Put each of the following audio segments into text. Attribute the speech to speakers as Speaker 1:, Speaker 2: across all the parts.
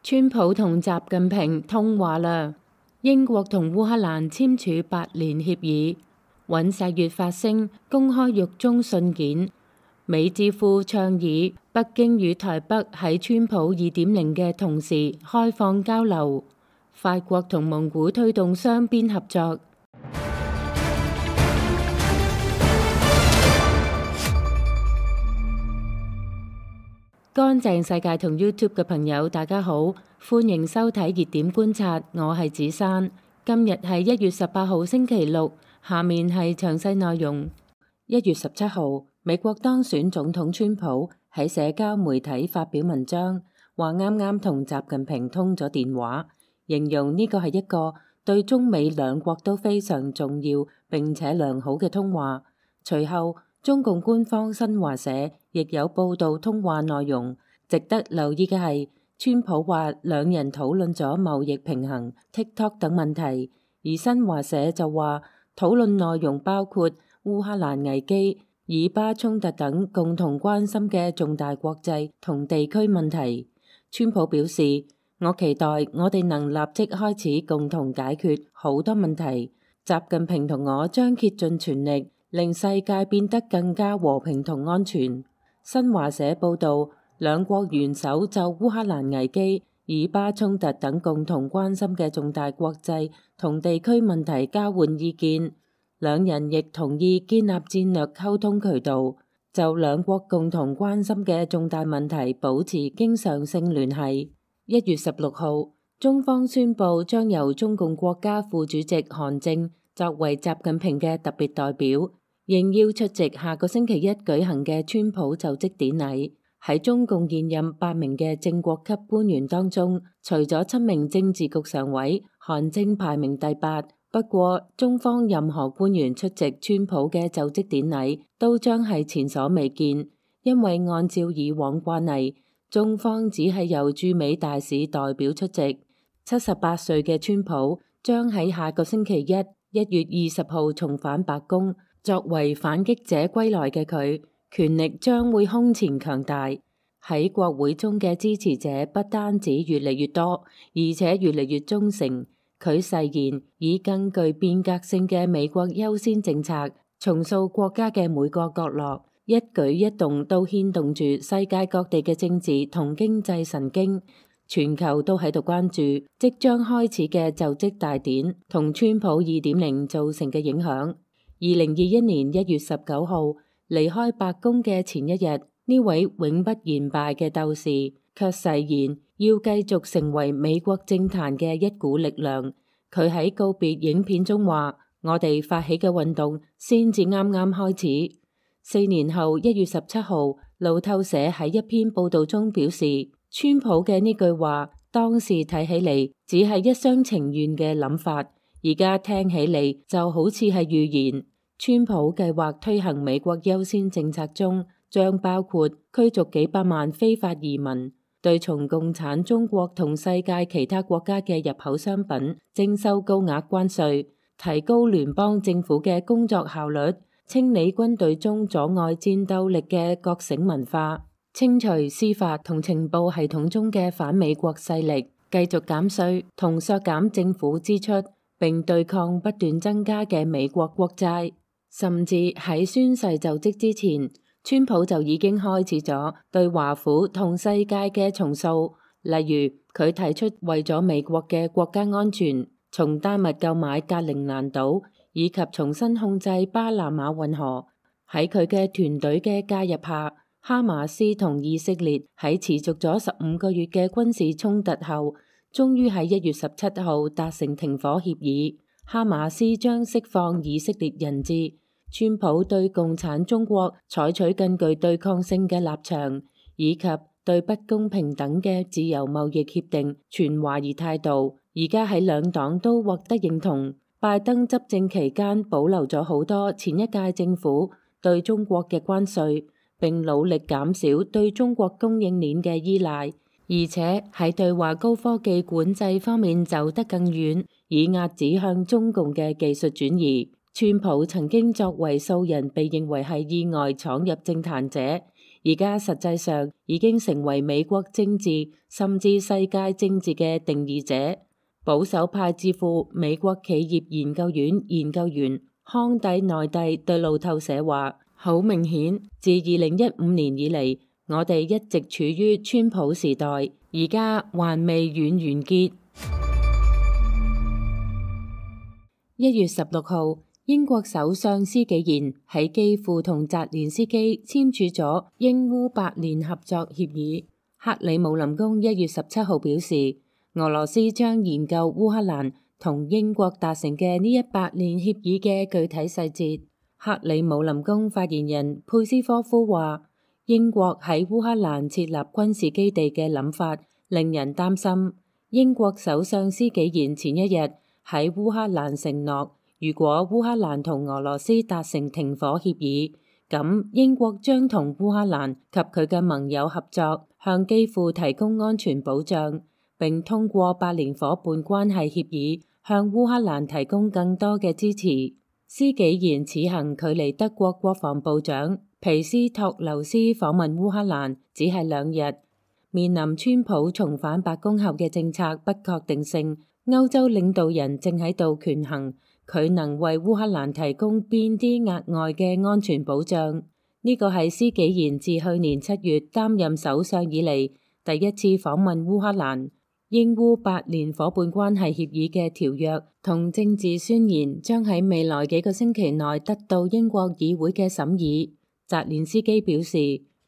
Speaker 1: 川普同習近平通話啦。英國同烏克蘭簽署8年協議。尹錫悅發聲公開獄中信件。美智庫倡議北京與台北喺川普2.0嘅同時開放交流。法國同蒙古推動雙邊合作。乾淨世界同 YouTube 嘅朋友，大家好，歡迎收睇熱點觀察，我係子珊。今日係1月18號星期六，下面係詳細內容。1月17號，美國當選總統川普喺社交媒體發表文章，話啱啱同習近平通咗電話，形容呢個係一個對中美兩國都非常重要並且良好嘅通話。隨後，中共官方新華社亦有報道通話內容。值得留意嘅係，川普話兩人討論咗貿易平衡、TikTok 等問題，而新華社就話討論內容包括烏克蘭危機、以巴衝突等共同關心嘅重大國際同地區問題。川普表示，我期待我哋能立即開始共同解決好多問題。習近平同我將竭盡全力令世界變得更加和平同安全。新華社報導，兩國元首就烏克蘭危機、以巴衝突等共同關心嘅重大國際同地區問題交換意見。兩人亦同意建立戰略溝通渠道，就兩國共同關心嘅重大問題保持經常性聯繫。1月16號，中方宣布將由中共國家副主席韓正作為習近平嘅特別代表，應邀出席下個星期一舉行嘅川普就職典禮。喺中共現任8名嘅正國級官員當中，除咗7名政治局常委，韓正排名第8。不過，中方任何官員出席川普嘅就職典禮都將係前所未見，因為按照以往慣例，中方只係由駐美大使代表出席。78歲嘅川普將喺下個星期一1月20號重返白宮。作為反擊者歸來嘅佢，權力將會空前強大。喺國會中嘅支持者不單止越嚟越多，而且越嚟越忠誠。佢誓言以更具變革性嘅美國優先政策，重塑國家嘅每個角落，一舉一動都牽動住世界各地嘅政治同經濟神經。全球都喺度關注即將開始嘅就職大典同川普2.0造成嘅影響。2021年1月19號，離開白宮嘅前一日，呢位永不言敗嘅鬥士卻誓言要繼續成為美國政壇嘅一股力量。佢喺告別影片中話：我哋發起嘅運動先至啱啱開始。4年後1月17號，路透社喺一篇報道中表示，川普嘅呢句話當時睇起嚟只係一廂情願嘅諗法，而家聽起嚟就好似係預言。川普計劃推行美國優先政策中，將包括驅逐幾百萬非法移民，對從共產中國同世界其他國家嘅入口商品徵收高額關稅，提高聯邦政府嘅工作效率，清理軍隊中阻礙戰鬥力嘅覺醒文化，清除司法同情報系統中嘅反美國勢力，繼續減稅同削減政府支出，並對抗不斷增加嘅美國國債。甚至喺宣誓就職之前，川普就已經開始咗對華府同世界嘅重塑。例如，佢提出為咗美國嘅國家安全，從丹麥購買格陵蘭島，以及重新控制巴拿馬運河。喺佢嘅團隊嘅介入下，哈馬斯同以色列喺持續咗15個月嘅軍事衝突後，終於喺1月17號達成停火協議。哈馬斯將釋放以色列人質。川普對共產中國採取更具對抗性嘅立場，以及對不公平等嘅自由貿易協定存懷疑態度，而家喺兩黨都獲得認同。拜登執政期間保留咗好多前一屆政府對中國嘅關稅，並努力減少對中國供應鏈嘅依賴，而且喺對華高科技管制方面走得更遠，以壓止向中共嘅技術轉移。川普曾經作為素人被認為係意外闖入政壇者，而家實際上已經成為美國政治甚至世界政治嘅定義者。保守派智庫美國企業研究院研究員康蒂內蒂對路透社話：好明顯，自2015年以嚟，我哋一直處於川普時代，而家還未完結。1月16號，英國首相施紀賢喺基輔同澤連斯基簽署咗英烏8年合作協議。克里姆林宮1月17號表示，俄羅斯將研究烏克蘭同英國達成嘅呢8年協議嘅具體細節。克里姆林宮發言人佩斯科夫話，英國喺烏克蘭設立軍事基地嘅諗法令人擔心。英國首相施紀賢前一日喺烏克蘭承諾，如果烏克蘭同俄羅斯達成停火協議，咁英國將同烏克蘭及佢嘅盟友合作，向基輔提供安全保障，並通過8年伙伴關係協議向烏克蘭提供更多嘅支持。施紀賢此行距離德國國防部長皮斯托留斯訪問烏克蘭只係2日。面臨川普重返白宮後嘅政策不確定性，歐洲領導人正喺度權衡佢能為烏克蘭提供邊啲額外嘅安全保障。呢個係施紀賢自去年7月擔任首相以嚟第一次訪問烏克蘭。英烏8年伙伴關係協議嘅條約同政治宣言將喺未來幾個星期內得到英國議會嘅審議。澤連斯基表示，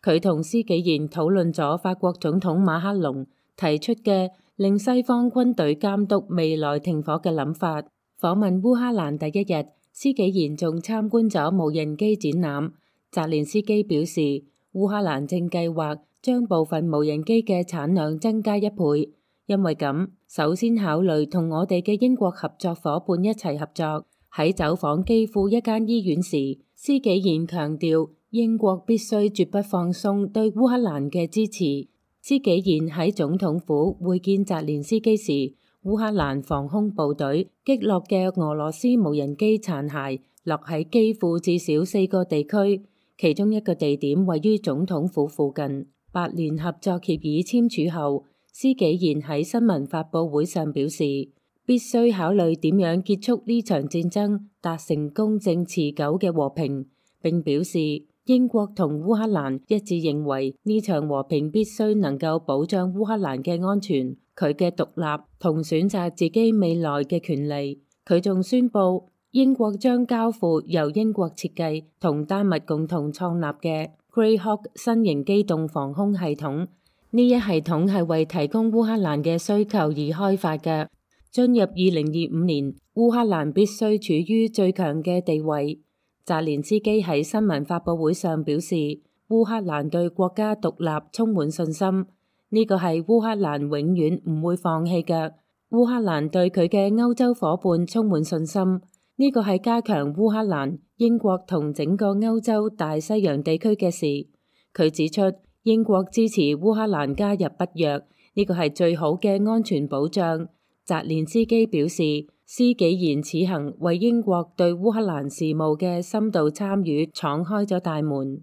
Speaker 1: 佢同施紀賢討論咗法國總統馬克龍提出嘅令西方軍隊監督未來停火嘅諗法。訪問烏克蘭第一日，施紀賢仲參觀咗無人機展覽。澤連斯基表示，烏克蘭正計劃將部分無人機嘅產量增加1倍。因為咁，首先考慮同我哋嘅英國合作伙伴一齊合作。喺走訪基輔一間醫院時，施紀賢強調英國必須絕不放鬆對烏克蘭嘅支持。施紀賢喺總統府會見澤連斯基時，烏克蘭防空部隊擊落嘅俄羅斯無人機殘骸落喺基輔至少4個地區，其中一個地點位於總統府附近。8年合作協議簽署後，施紀賢喺新聞發佈會上表示，必須考慮點樣結束呢場戰爭，達成公正持久嘅和平。並表示，英國同烏克蘭一致認為呢場和平必須能夠保障烏克蘭嘅安全、佢嘅獨立同選擇自己未來嘅權利。佢仲宣布，英國將交付由英國設計同丹麥共同創立嘅 Greyhawk 新型機動防空系統。呢一系統係為提供烏克蘭嘅需求而開發嘅。進入2025年，烏克蘭必須處於最強嘅地位。澤連斯基喺新聞發佈會上表示，烏克蘭對國家獨立充滿信心，呢個係烏克蘭永遠唔會放棄嘅。烏克蘭對佢嘅歐洲夥伴充滿信心，呢個係加強烏克蘭、英國同整個歐洲大西洋地區嘅事。佢指出，英國支持烏克蘭加入北約，呢個係最好嘅安全保障。澤連斯基表示，施紀賢此行為英國對烏克蘭事務嘅深度參與敞開咗大門。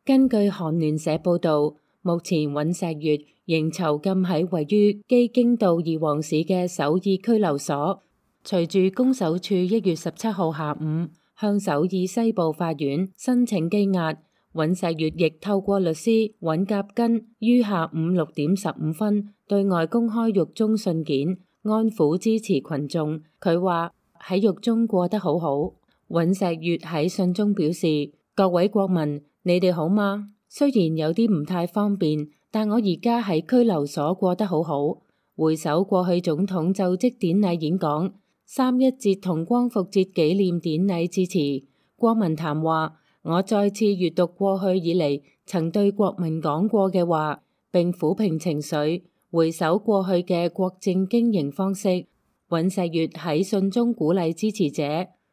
Speaker 1: 根據韓聯社報導，目前尹錫悅仍囚禁喺位於基京道義皇市嘅首爾拘留所。隨住公守處1月17號下午向首爾西部法院申請羈押，尹錫悅亦透過律師尹甲根於下午6點15分對外公開獄中信件，安撫支持群眾。佢話喺獄中過得好好。尹錫悅喺信中表示：各位國民，你哋好嗎？雖然有啲唔太方便，但我而家喺拘留所過得好好。回首過去總統就職典禮演講、3.1節同光復節紀念典禮致辭，國民談話，我再次閱讀過去以嚟曾對國民講過嘅話，並撫平情緒，回首過去嘅國政經營方式。尹錫悅喺信中鼓勵支持者，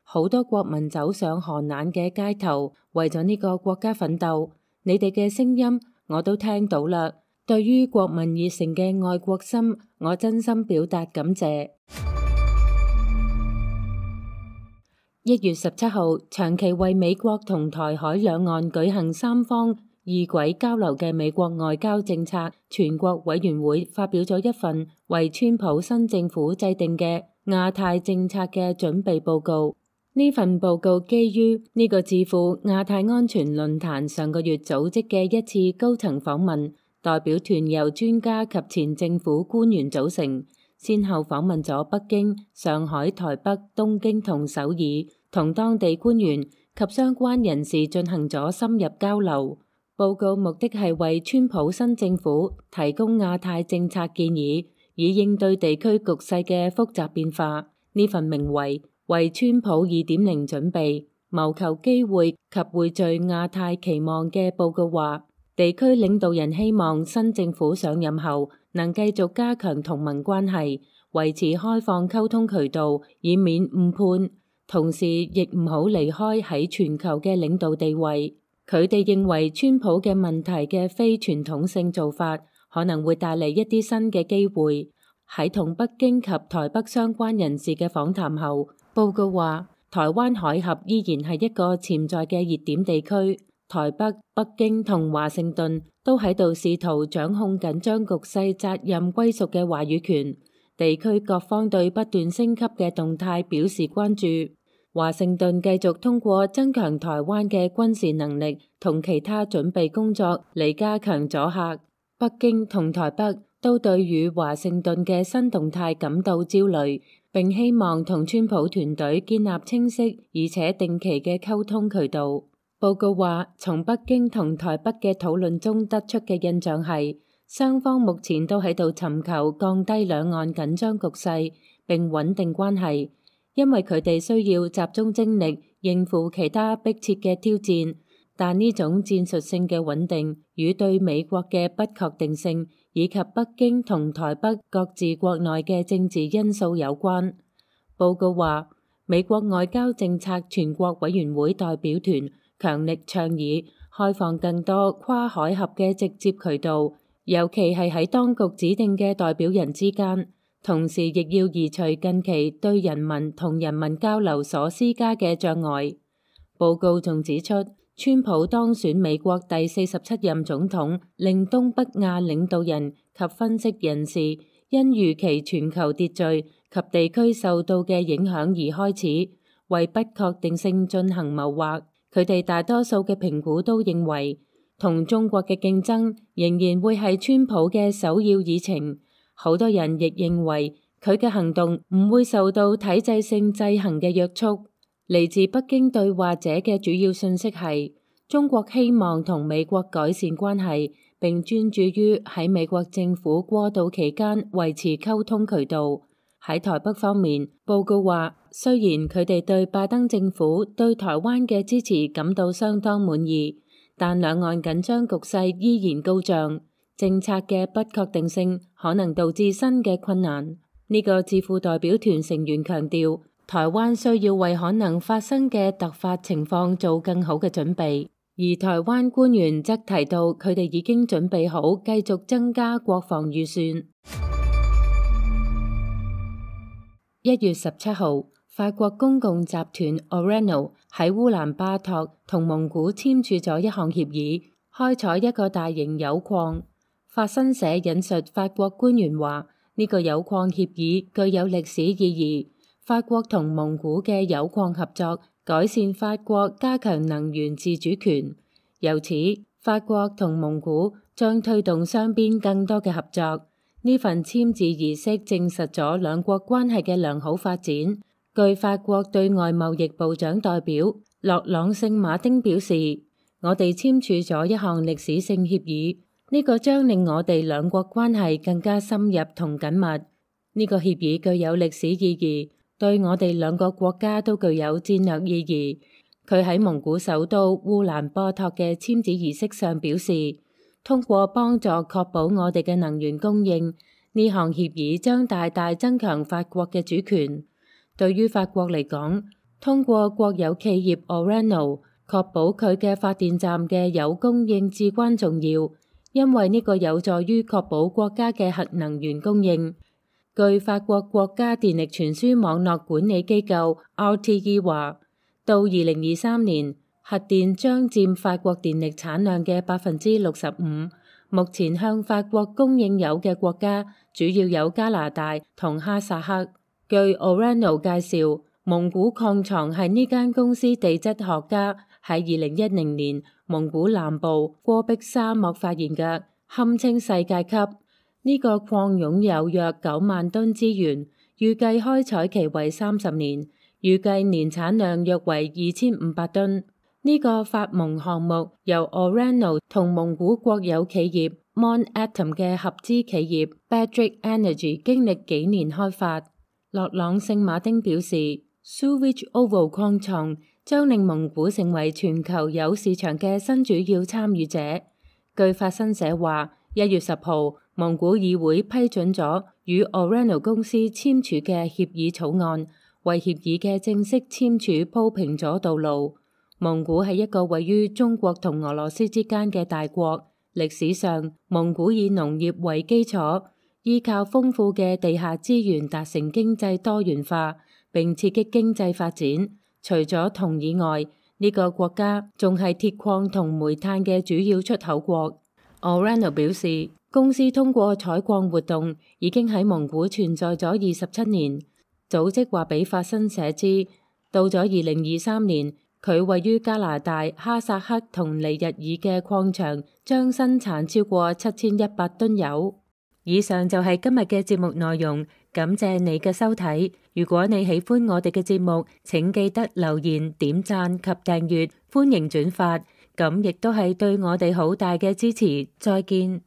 Speaker 1: 好多國民走上寒冷嘅街頭，為咗呢個國家奮鬥。你哋嘅聲音我都聽到啦。對於國民熱誠嘅愛國心，我真心表達感謝。1月17號，長期為美國同台海兩岸舉行三方異軌交流嘅美國外交政策全國委員會發表咗一份為川普新政府制定嘅亞太政策嘅準備報告。呢份報告基於呢個智庫亞太安全論壇上個月組織嘅一次高層訪問，代表團由專家及前政府官員組成，先後訪問咗北京、上海、台北、東京同首爾，同當地官員及相關人士進行咗深入交流。報告目的係為川普新政府提供亞太政策建議，以應對地區局勢嘅複雜變化。呢份名為川普2.0準備，謀求機會及匯聚亞太期望嘅報告話，地區領導人希望新政府上任後能繼續加強同盟關係，維持開放溝通渠道，以免誤判，同時亦唔好離開喺全球嘅領導地位。佢哋認為川普嘅問題嘅非傳統性做法可能會帶嚟一啲新嘅機會。喺同北京及台北相關人士嘅訪談後，報告話台灣海峽依然係一個潛在嘅熱點地區，台北、北京同華盛頓都喺度試圖掌控緊張局勢責任歸屬嘅話語權。地區各方對不斷升級嘅動態表示關注。華盛頓繼續通過增強台灣嘅軍事能力同其他準備工作嚟加強阻嚇。北京同台北都對與華盛頓嘅新動態感到焦慮，並希望同川普團隊建立清晰而且定期嘅溝通渠道。報告話，從北京同台北嘅討論中得出嘅印象係，雙方目前都喺度尋求降低兩岸緊張局勢並穩定關係。因為佢哋需要集中精力應付其他迫切嘅挑戰，但呢種戰術性嘅穩定與對美國嘅不確定性以及北京同台北各自國內嘅政治因素有關。報告話，美國外交政策全國委員會代表團強力倡議開放更多跨海峽嘅直接渠道，尤其係喺當局指定嘅代表人之間。同時亦要移除近期對人民同人民交流所施加嘅障礙。報告仲指出，川普當選美國第47任總統，令東北亞領導人及分析人士因預期全球秩序及地區受到嘅影響而開始為不確定性進行謀劃。佢哋大多數嘅評估都認為，同中國嘅競爭仍然會係川普嘅首要議程。好多人亦認為佢嘅行動唔會受到體制性制衡嘅約束。嚟自北京對話者嘅主要訊息係，中國希望同美國改善關係，並專注於喺美國政府過渡期間維持溝通渠道。喺台北方面，報告話，雖然佢哋對拜登政府對台灣嘅支持感到相當滿意，但兩岸緊張局勢依然高漲。政策嘅不確定性可能導致新嘅困難。呢個智庫代表團成員強調，台灣需要為可能發生嘅突發情況做更好嘅準備，而台灣官員則提到佢哋已經準備好繼續增加國防預算。1月17號，法國公共集團 Orano 喺烏蘭巴托同蒙古簽署咗一項協議，開採一個大型鈾礦。法新社引述法國官員話，呢個鈾礦協議具有歷史意義。法國同蒙古嘅鈾礦合作，改善法國加強能源自主權。由此，法國同蒙古將推動雙邊更多嘅合作。呢份簽字儀式證實咗兩國關係嘅良好發展。據法國對外貿易部長代表洛朗聖馬丁表示，我哋簽署咗一項歷史性協議。呢個將令我哋兩國關係更加深入同緊密。呢個協議具有歷史意義，對我哋兩個國家都具有戰略意義。佢喺蒙古首都烏蘭波托嘅簽字儀式上表示，通過幫助確保我哋嘅能源供應，呢項協議將大大增強法國嘅主權。對於法國嚟講，通過國有企業 Orano 確保佢嘅發電站嘅鈾供應至關重要。因為呢個有助於確保國家嘅核能源供應。據法國國家電力傳輸網絡管理機構 RTE 話，到2023年，核電將佔法國電力產量嘅65%。目前向法國供應油嘅國家主要有加拿大同哈薩克。據 Orano 介紹，蒙古礦床係呢間公司地質學家喺2010年蒙古南部戈壁沙漠發現嘅，堪稱世界級。呢個礦擁有約9萬噸資源，預計開採期為30年，預計年產量約為2500噸。呢個發蒙項目由 Orano 同蒙古國有企業 Monatom 嘅合資企業 Badric Energy 經歷幾年開發。洛朗聖馬丁表示 Suwich Oval 礦床將令蒙古成為全球油市場嘅新主要參與者。據法新社話，1月10號，蒙古議會批准咗與 Orano 公司簽署嘅協議草案，為協議嘅正式簽署鋪平咗道路。蒙古係一個位於中國同俄羅斯之間嘅大國，歷史上蒙古以農業為基礎，依靠豐富嘅地下資源達成經濟多元化，並刺激經濟發展。除咗銅以外，呢個國家仲係鐵礦同煤炭嘅主要出口國。Orano 表示，公司通過採礦活動已經喺蒙古存在咗27年。組織話俾法新社知，到咗2023年，佢位於加拿大、哈薩克同尼日爾嘅礦場將生產超過7100噸油。以上就係今日嘅節目內容，感謝你嘅收睇。如果你喜歡我哋嘅節目，請記得留言、點讚及訂閱，歡迎轉發，咁亦都係對我哋好大嘅支持。再見。